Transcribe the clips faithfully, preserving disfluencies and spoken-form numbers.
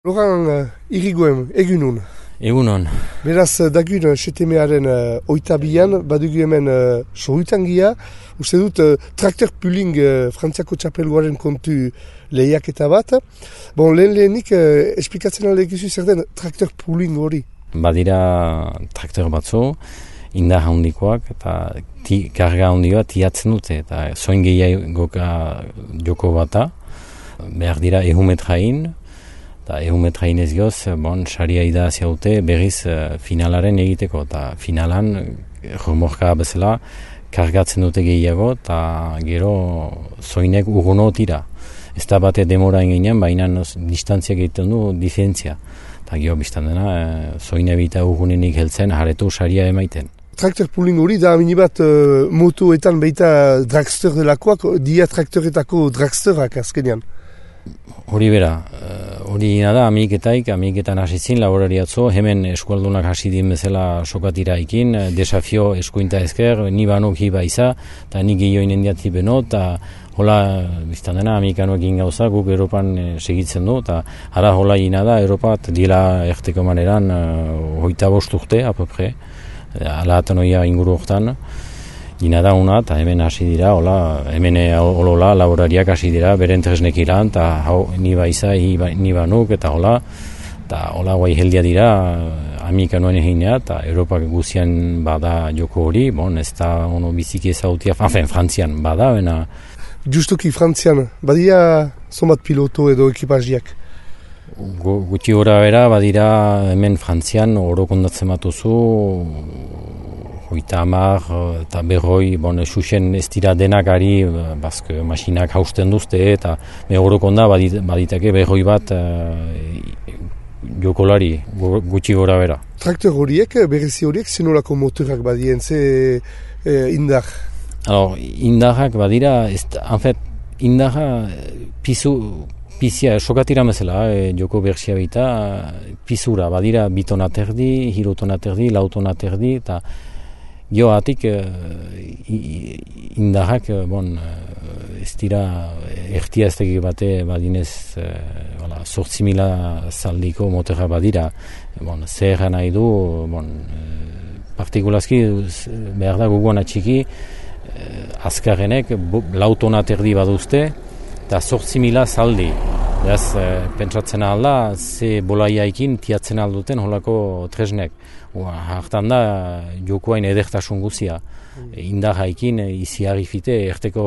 Loran uh, Irigoen, egunon. Egunon. Beraz, dagun, setemearen uh, oitabian, badugu hemen uh, sorutangia. Uste dut, uh, traktor puling uh, Frantziako txapelgoaren kontu lehiaketa bat. Bon, lehen lehenik, uh, esplikatzen alegizu zer den traktor puling hori? Badira traktor batzu, indar handikoak eta ti, karga handioa tiatzen dute. Eta zoin gehiagoka joko bata, behar dira ehumetrain. Eta ehumetrain ez goz, bon, saria idazia dute berriz uh, finalaren egiteko. Eta finalan, remorka bezala, kargatzen dute gehiago, eta gero zoinek urguno tira. Ez da bate demora engenean, baina distantziak egiten du diferentzia. Eta gero biztan dena, uh, zoine bita urgunenik heltzen, haretu saria emaiten. Traktor pooling hori da minibat uh, motoetan beita dragster delakoak, dia traktoretako dragsterak azkenean. Hori bera, hori uh, da, amiketaik, amiketan hasitzin, laborariatzo, hemen eskualdunak hasi din bezala sokatiraikin, desafio eskuinta ezker, ni banok hiba iza, eta ni gehioin endiati beno, eta hola, biztan dena, amikanoak gauza, guk Europan e, segitzen du, eta ara hola ina da, Europat dila erteko maneran, uh, hoita bost urte, apopre, ala atanoia inguru hortan, Gina da una, eta hemen hasi dira, hola, hemen holola laborariak hasi dira, beren tresnek ilan, eta hau ni baiza, ni banuk, eta hola, eta hola guai heldia dira, amika noen eginea, eta Europak guzian bada joko hori, bon, ez da ono biziki ezautia, enfin, Frantzian bada, bena. Justuki Frantzian, badia zonbat piloto edo ekipaziak? Gutxi gora bera, badira hemen Frantzian, oro kondatzen batuzu, hoita hamar eta berroi, bon, xuxen ez dira denak ari, bazke masinak hausten duzte, eta megorokon da badit, baditake berroi bat uh, jokolari, gutxi gora bera. Traktor horiek, berezi horiek, zenolako motorak badien, ze eh, indar? Alors, indarrak badira, ez, en fait, indarra pizu, pizia, sokatira mesela, eh, joko berxia bita, pizura, badira bitona terdi, hirotona terdi, lautona terdi, eta joatik uh, indarrak, bon, uh, ez dira ertia ez teki bate badinez uh, sortzi mila zaldiko motorra badira. Bon, zer nahi du, bon, uh, partikulazki behar da guguan atxiki, uh, azkarrenek lautona terdi baduzte, eta sortzi mila zaldi. Beraz, uh, pentsatzen alda, ze bolaiaikin tiatzen alduten holako tresnek. Hartan da, jokoain edertasun guzia. Mm. Indarraikin, izi harrifite, erteko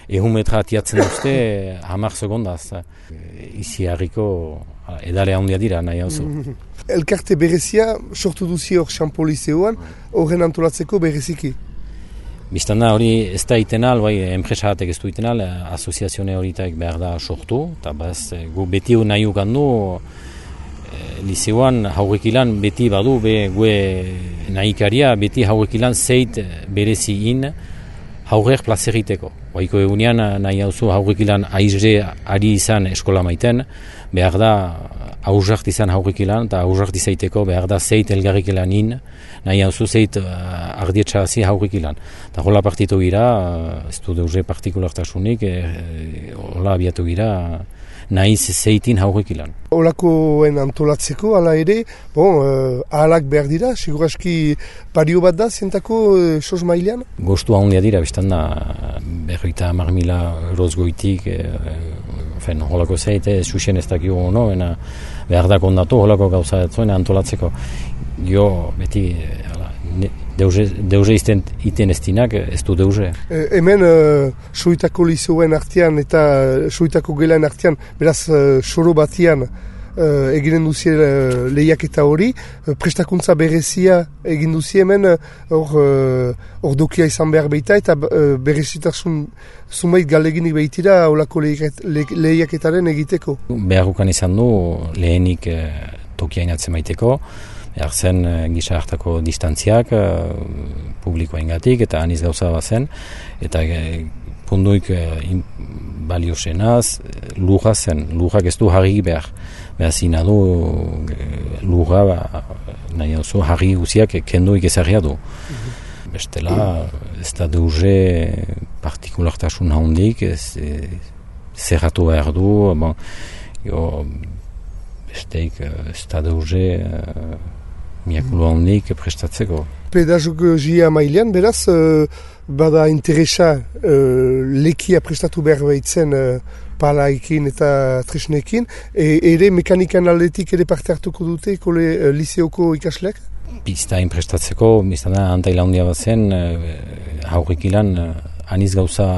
ehumetra tiatzen duzte, hamar segondaz. Izi harriko edale handia dira, nahi hau zu. Mm. Elkarte berezia, sortu duzi hor Xampolizeoan, horren antolatzeko bereziki? Biztan da, hori ez da itenal, bai, enpresatek ez du itenal, asoziazione horitak behar da sortu, eta baz, gu beti nahi ukandu, Lizeoan haurekilan beti badu, be gue nahikaria, beti haurekilan zeit berezi in haurek plazeriteko. Baiko egunean nahi hauzu haurekilan aizre ari izan eskola maiten, behar da haurrak izan haurekilan, eta haurrak izaiteko behar da zeit elgarrikilan in, nahi hauzu zeit uh, ardietxa hazi haurekilan. Eta hola partitu gira, ez du deuze partikulartasunik, eh, hola abiatu gira, nahiz zeitin haurekilan. Olakoen antolatzeko, ala ere, bon, uh, ahalak behar dira, seguraski pario bat da, zientako uh, sos mailean? Gostu handia dira, biztan da, berroita hamar mila euroz goitik, eh, fen, holako zeite, susen ez dakio ono, ena, behar da kondatu, holako gauza zuen antolatzeko. Jo, beti, ala, ne, deuze, deuze izten iten ez dinak, ez du deuze. E, hemen, uh, soitako lizoen artean eta soitako gelan artean, beraz, uh, soro batian, Uh, eginen duzie uh, lehiaketa hori, uh, prestakuntza berezia egin duzie hemen hor uh, dokia izan behar behita eta uh, berezitasun zumait galeginik behitira olako lehiaketaren egiteko. Beharrukan izan du lehenik uh, tokia inatzen maiteko, behar zen uh, gisa hartako distantziak uh, publikoa ingatik eta aniz gauza bat zen, eta uh, punduik uh, balio zenaz, lurra zen, lurrak ez du harri behar. Beraz, ina du lurra, ba, nahi hau zu, harri guziak kenduik ezarria du. Mm-hmm. Bestela, ez da deuze partikulartasun handik, ez, zerratu behar du, bon, jo, besteik ez da deuze miakulu handik prestatzeko. Pedagogia mailean, beraz, uh, bada interesa uh, lekia prestatu behar behitzen uh, palaikin eta tresnekin, e, ere mekanikan aldetik ere parte hartuko dute kole uh, liseoko ikasleak? Biztain prestatzeko, biztan da antaila handia bat zen, uh, haurrik ilan uh, aniz gauza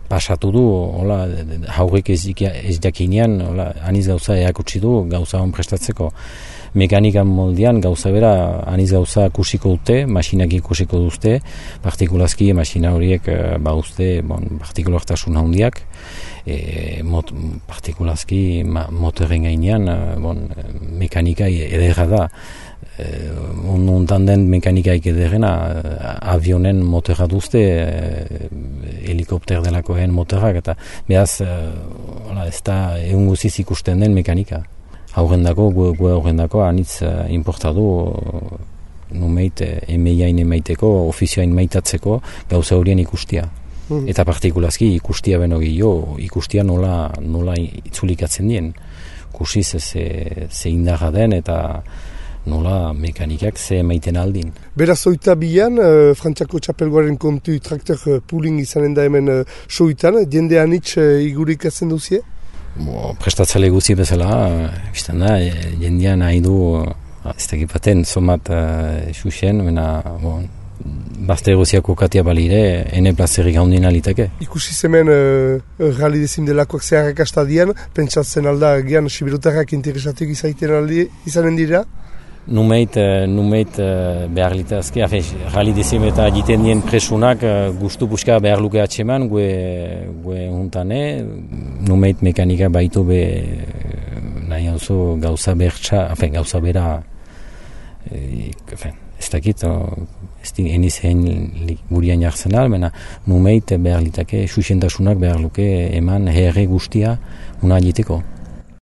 pasatu du, hola, haurrik ez, ez jakinean, hola, aniz gauza eakutsi du gauza hon prestatzeko. Mekanikan moldean gauza bera, aniz gauza kusiko dute, masinak ikusiko duzte, partikulazki masina horiek ba uste, bon, partikulartasun handiak, e, mot, partikulazki ma, motoren gainean, bon, mekanika ederra da. E, Ondan den mekanikaik ederrena, avionen motorra duzte, e, helikopter delakoen motorrak, eta behaz, e, ez da egun guziz ikusten den mekanika. Haurendako, gu haurendako, anitz uh, importadu uh, numeit emeiain emaiteko, ofizioain maitatzeko gauza horien ikustia. Mm. Eta partikulazki ikustia beno gehiago, ikustia nola, nola itzulikatzen dien. Kusiz ze, ze indarra den eta nola mekanikak ze emaiten aldin. Beraz oita bian, uh, Frantziako txapelgoaren kontu traktor uh, pooling izanen da hemen uh, soitan, jende anitz uh, igurikatzen duzie? Bo, prestatzale guzi bezala, biztan da, jendean nahi du, ez tekipaten, somat xuxen, mena, bon, bazte egoziako katia balire, ene plazerik haundin aliteke. Ikusi zemen uh, rali dezim delakoak zeharrak astadian, pentsatzen alda, gian, sibirutarrak interesatik izaiten aldi, izanen dira? Numeit, numeit behar litazke, afe, rali dezim eta jiten dien presunak gustu puska behar luke atseman, gue, gue huntane, numeit mekanika baitu be nahi hauzo gauza bertsa, afe, gauza bera, e, afe, ez dakit, ez di eniz egin gurian jartzen almena, numeit behar litake, susentasunak behar luke eman herre guztia una jiteko.